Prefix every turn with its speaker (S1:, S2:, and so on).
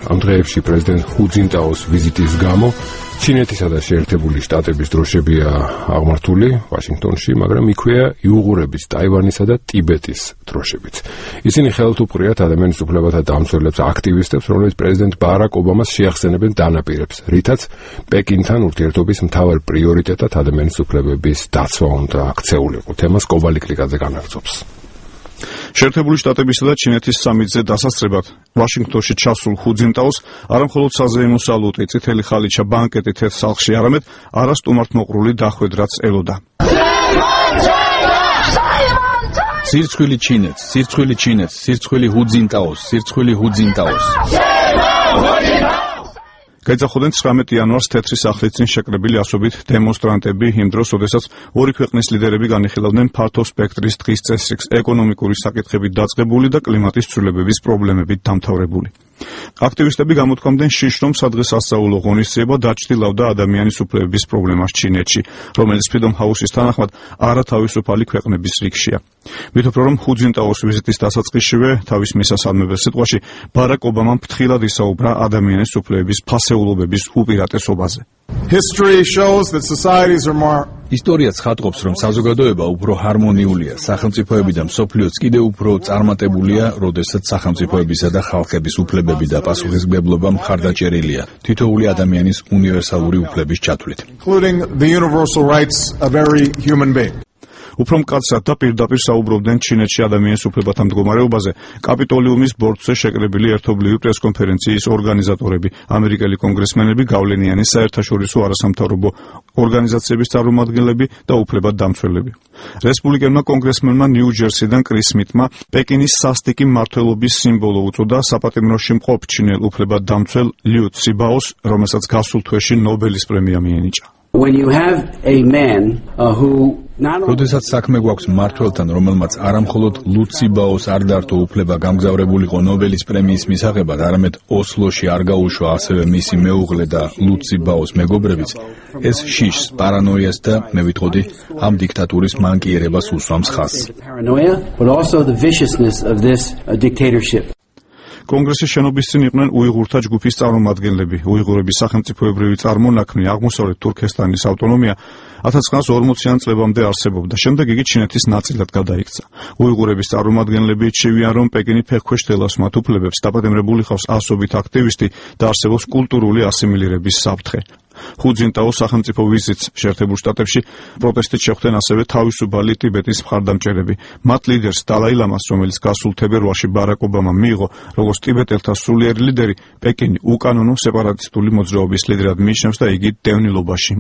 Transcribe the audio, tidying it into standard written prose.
S1: ამ დღეებში პრეზიდენტ ჰუ ძინტაოს ვიზიტის გამო ჩინეთისა და შეერთებული შტატების დროშებია აღმართული ვაშინგტონში, მაგრამ იქვეა იუღურების, ტაივანისა და ტიბეტის დროშებიც. ისინი ხელთ უპყრიათ ადამიანის უფლებათა დამცველებს, აქტივისტებს, რომლებიც პრეზიდენტ ბარაკ ობამას შეახსენებენ დანაპირებს, რითაც პეკინთან ურთიერთობის მთავარ პრიორიტეტად ადამიანის უფლებების დაცვა უნდა აქცეულიყო. თემას კობალიკლიკაძე განაგრძობს.
S2: შეერთებული შტატებისა და ჩინეთის სამიტზე დასასწრებად ვაშინგტონში ჩასულ ჰუ ძინტაოს არამხოლოდ საზეიმო სალუტი, წითელი ხალიჩა, ბანკეტი თეთრ სახლში, არამედ არასტუმართმოყრული დახვედრაც ელოდა.
S3: სირცხვილი ჩინეთს, სირცხვილი ჩინეთს, სირცხვილი ჰუ ძინტაოს, სირცხვილი ჰუ ძინტაოს.
S2: გაიძახოდნენ 19 იანვარს თეთრი სახლის წინ შეკრებილი ასობით დემონსტრანტები იმ დროს, როდესაც ორი ქვეყნის ლიდერები განიხილავდნენ ფართო სპექტრის დღის წესრიგს, ეკონომიკური საკითხებით დაწყებული და კლიმატის ცვლილებების პრობლემებით დამთავრებული. აქტივისტები გამოთქვამდნენ შიშს, რომ სადღესასწაულო ღონისძიება დაჩრდილავდა ადამიანის უფლებების პრობლემას ჩინეთში, რომელიც Freedom House-ის თანახმად არათავისუფალი ქვეყნების რიგშია. მით უფრო რომ ჰუ ძინტაოს ვიზიტის დასაწყისშივე თავის მისასალმებელ სიტყვაში ბარაკ ობამამ ფრთხილად ისაუბრა ადამიანის უფლებების ფასეულობების უპირატესობაზე.
S3: ისტორია ცხადყოფს, რომ საზოგადოება უფრო ჰარმონიულია, სახელმწიფოები და მსოფლიოც კიდევ უფრო წარმატებულია, როდესაც სახელმწიფოებისა და ხალხების უფლებები და პასუხისმგებლობა მხარდაჭერილია თითოეული ადამიანის უნივერსალური უფლების ჩათვლით.
S2: უფრო მკაცრად და პირდაპირ საუბრობდნენ ჩინეთში ადამიანის უფლებათა მდგომარეობაზე კაპიტოლიუმის ბორცვზე შეკრებილი ერთობლივი პრესკონფერენციის ორგანიზატორები, ამერიკელი კონგრესმენები, გავლენიანი საერთაშორისო არასამთავრობო ორგანიზაციების წარმომადგენლები და უფლებადდამცველები. რესპუბლიკელმა კონგრესმენმა ნიუ-ჯერსიდან კრის სმითმა პეკინის სასტიკი მმართველობის სიმბოლო უწოდა საპატიმროში მყოფ ჩინელ უფლებადდამცველ ლიუ ციბაოს, რომელსაც გასულ თვეში ნობელის პრემია მიენიჭა.
S3: როდესაც საქმე გვაქვს მმართველთან, რომელმაც არამხოლოდ ლუ ციბაოს არ დართო უფლება გამგზავრებულიყო ნობელის პრემიის მისაღებად, არამედ ოსლოში არ გაუშვა ასევე მისი მეუღლე და ლუ ციბაოს მეგობრებიც, ეს შიშს, პარანოიას და მე ვიტყოდი, ამ დიქტატურის მანკიერებას უსვამს ხაზს.
S2: კონგრესის შენობის წინ იყვნენ უიღურთა ჯგუფის წარმომადგენლები. უიღურების სახელმწიფოებრივი წარმონაქმნი აღმოსავლეთ თურქესტანის ავტონომია 1940-იან წლებამდე არსებობდა. შემდეგ იგი ჩინეთის ნაწილად გადაიქცა. უიღურების წარმომადგენლები ირჩევიან, რომ პეკინი ფეხქვეშ დელავს მათ უფლებებს, დაპატიმრებული ხავს ასობით აქტივისტი და არსებობს კულტურული ასიმილირების საფრთხე. ჰუ ძინტაოს სახელმწიფო ვიზიტს შეერთებულ შტატებში პროტესტით შეხვდნენ ასევე თავისუფალი ტიბეტის მხარდამჭერები. მათ ლიდერს დალაი ლამას, რომელიც გასულ თებერვალში ბარაკ ობამამ მიიღო როგორც ტიბეტელთა სულიერი ლიდერი, პეკინი უკანონო სეპარატისტული მოძრაობის ლიდერად მიიჩნევს და იგი დევნილობაში